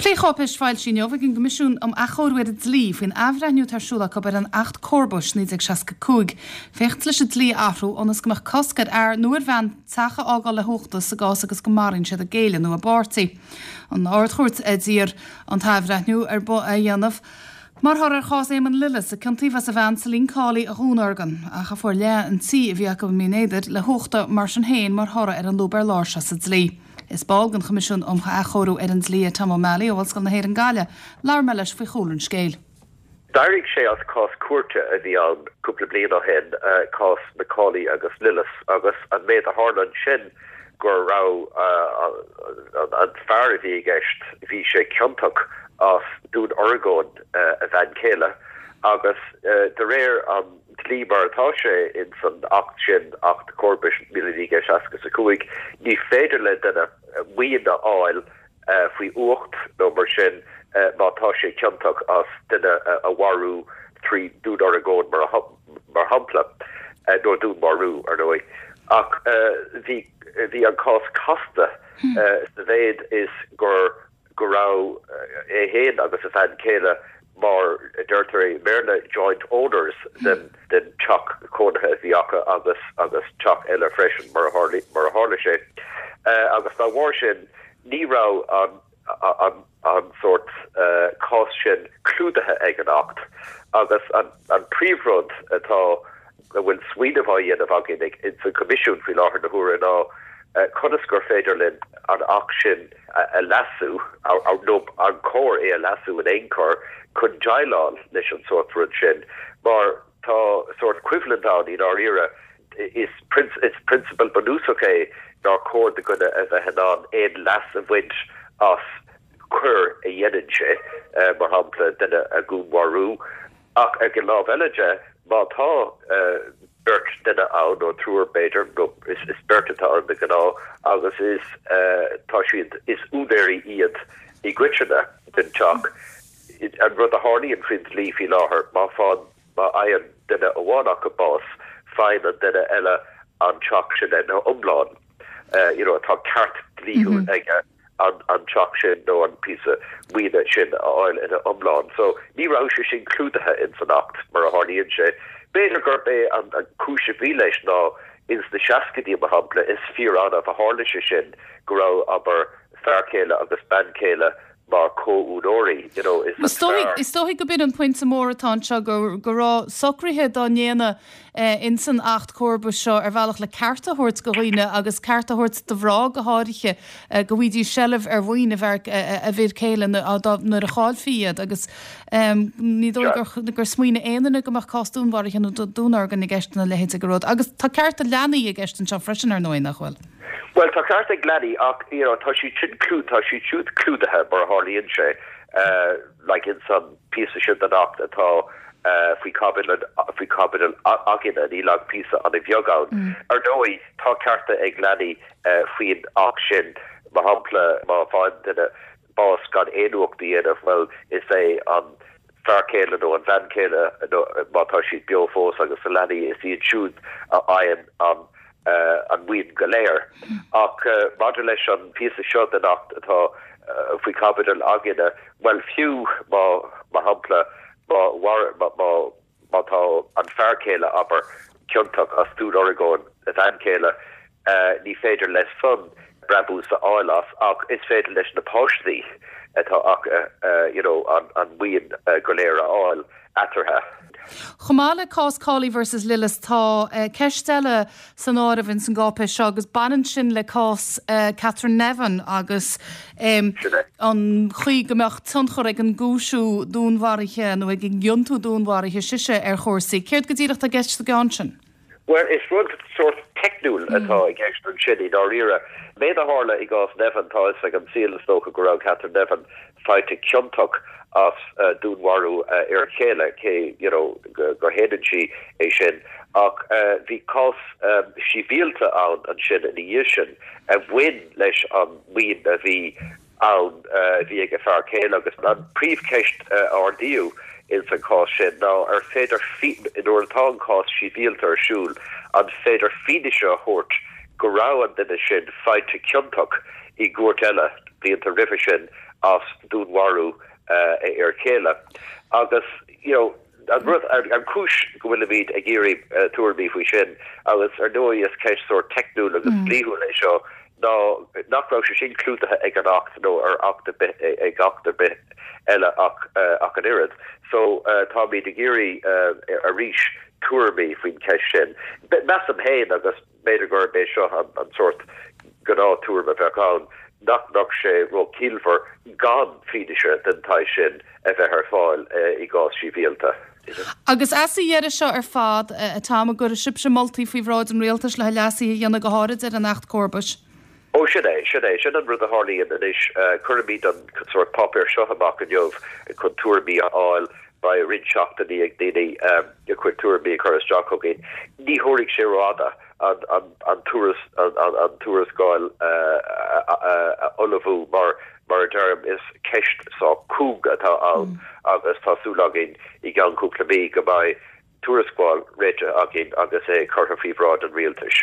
Plécháipéis foilsithe inniu ag an gCoimisiún um Athchóiriú ar an Dlí faoin athbhreithniú atá ar siúl acu ar an Acht Comharbais 1965 féachaint leis an dlí a athrú ionas go mbeadh cosc ar fhear nó ar bhean teach a fhágáil le huachtas sa gcás agus go maraíonn siad a gcéile nó a bpáirtí. An Ard-Chúirt a d'iarr an t-athbhreithniú ar a dhéanamh mar thoradh ar chás Éamonn Lillis a ciontaíodh as a bhean Celine Cawley a dhúnorgain ach a fuair leath an tí a bhí acu i mBinn Éadair le huchtadh mar sin féin mar thoradh ar an lúb ar lár seo sa dlí. Is ball den Choimisiún um Athchóiriú ar an Dlí é Tom O'Malley ó Ollscoil na hÉireann Gaillimh. Labhair mé leis faoi chúlra an scéil. D'éirigh sé as cás cúirte a bhí ann cúpla bliain ó shin, cás McCauley agus Lillis, agus an méid a tharla ansin go raibh an fear a bhí i gceist, bhí sé ciontach as dúnorgain a bhean chéile agus de réir an dlí mar atá sé ins an Acht sin, Acht Comharbais 1965, ní féidir le duine maoin a fháil faoi uacht nó mar sin má tá sé ciontach as duine a mharú trí dúnorgain mar shampla, nó dúnmharú, ar ndóigh. Ach bhí bhí an cás casta sa mhéid is gur go raibh é féin agus a bhean chéile mar a deirtear i mBéarla joint owners den den teach cónaithe a bhí acu agus agus teach eile freisin mar a tharla mar a tharla sé. Agus dá bharr sin ní raibh an an an sórt cás sin clúdaithe ag an Acht agus an an príomhrud atá a bhfuil smaoineamh á dhéanamh againn ag ins an Choimisiún faoi láthair na huaire ná conas gur féidir linn an Acht sin a leasú, nó an cóir é a leasú in aon chor, chun déileáil leis an sórt rud sin, mar tá sórt coimhlint ann i ndáiríre. Is prionsabal bunúsach é nár chóir do dhuine a bheith in ann aon leas a bhaint as coir a dhéanann sé, mar shampla duine a dhúnmharú. Ach ag an lámh eile de, má tá beirt duine ann, nó triúr b'fhéidir, nó is beirt atá ann de ghnáth, agus is tá siad, is úinéirí iad i gcoitinne den teach, an rud a tharlaíonn faoin dlí faoi láthair, má fá, má fhaigheann duine amháin acu bás, faigheann an duine eile an teach sin ina iomlán. You know, tá ceart dlíthiúil aige. an teach sin nó an píosa maoine sin a fháil ina iomlán. So, ní raibh sé sin clúdaithe ins an Acht, mar a tharlaíonn sé. B'fhéidir gurb é an cúis a bhí leis ná ins na seascaidí, mar shampla, is fíor-annamh a tharla sé sin, go raibh, abair, fear céile agus bean chéile mar chomhúinéirí, you know, is an fear. Is dóigh go b'in an pointe mór atá anseo, go raibh socruithe dá ndéanamh ins an Acht Comharbais seo ar bhealach le cearta a thabhairt do dhaoine agus cearta a thabhairt do mhná go háirithe go bhfaighidís seilbh ar mhaoin a bhfir céile nuair a chaillfí iad agus ní dóigh gur smaoinigh aon duine go mbeadh cás dúnmharaithe nó dúnorgain i gceist ina leithéid de rud. Agus tá cearta leanaí i gceist anseo freisin ar ndóigh, nach bhfuil? Bhuel, tá cearta ag leanaí ach you know tá siad sin tá siad siúd clúdaithe mar a tharlaíonn sé like ins an píosa sin den Acht atá faoi chaibidil faoi chaibidil againne, níl ach píosa an-bheag ann. Ar ndóigh, tá cearta ag leanaí faoin Acht sin, mar shampla, má fhaigheann duine bás gan aon uacht a dhéanamh, bhuel, is é an fear céile nó an bhean chéile, nó má tá siad beo fós agus na leanaí, is iad siúd a fhaigheann an an mhaoin go léir. Ach maidir leis an phíosa seo den Acht atá faoi chaibidil againne, bhuel, fiú má, mar shampla, má, má, má tá an fear céile, abair, ciontach as dúnorgain a bhean chéile, ní féidir leis san brabús a fháil as ach is féidir leis na páistí atá acu, you know, an mhaoin go léir a fháil eatarthu. Chomh maith le cás Cawley versus Lillis, tá ceist eile san áireamh ins an gcáipéis seo agus baineann sin le cás Catherine Nevin agus an chaoi go mbeadh tionchar ag an gcúisiú dúnmharaithe nó ag an gciontú dúnmharaithe sise ar chúrsaí. Céard go díreach atá i gceist sa gceann sin? Bhuel, is rud sórt teicniúil atá i gceist ansin i ndáiríre. Méid a tharla i gcás Nevin, tá fhios ag an saol is dócha go raibh Catherine Nevin faighte ciontach as dúnmharú a fhir chéile, cé you know gur shéanann sí é sin. Ach bhí cás sibhialta ann ansin ina dhiaidh sin a bhain leis an maoin a bhí ann a bhí ag a fear céile agus an príomhcheist a ardaíodh ins an chás sin ná ar féidir, nuair atá an cás sibhialta ar siúl, an féidir fianaise a thabhairt go raibh an duine sin faighte ciontach i gcúirt eile blianta roimhe sin. as dúnmharú a fhir chéile. Agus, you know, an rud, an chúis go bhfuilimid ag iarraidh tuairimí faoi sin, agus ar ndóigh is ceist sórt teicniúil agus dlíthiúil é seo, ná nach raibh sé sin clúdaithe ag an Acht nó ar Acht ar bith, ag Acht ar bith eile ach ach an oiread. So táimid ag iarraidh arís tuairimí faoin cheist sin. Measaim féin, agus b'fhéidir gurb é seo an sórt gnáth-tuairim a bheadh ann, nach mbeadh sé ró-chiallmhar gan fianaise den tsaghas sin a bheith ar fáil i gcás sibhialta. Agus as a dheireadh seo ar fad, a Tom, an gcuirfidh sibhse moltaí faoi bhráid an Rialtais le leasuithe a dhéanamh go háirid ar an Acht Comharbais? Ó, sin é, sin é. Sin an rud a tharlaíonn anois. Cuirimid an sórt páipéar seo amach inniu chun tuairimí a fháil. Beidh roinnt seachtainí ag daoine a gcuid tuairimí a chur isteach chugainn. Ní thabharfaidh sé rófhada an tuarascáil a ullmhú mar, mar a deirim, is ceist sách cúng atá ann agus tá súil againn i gceann cúpla mí go mbeidh tuarascáil réitithe againn agus é curtha faoi bhráid an Rialtais.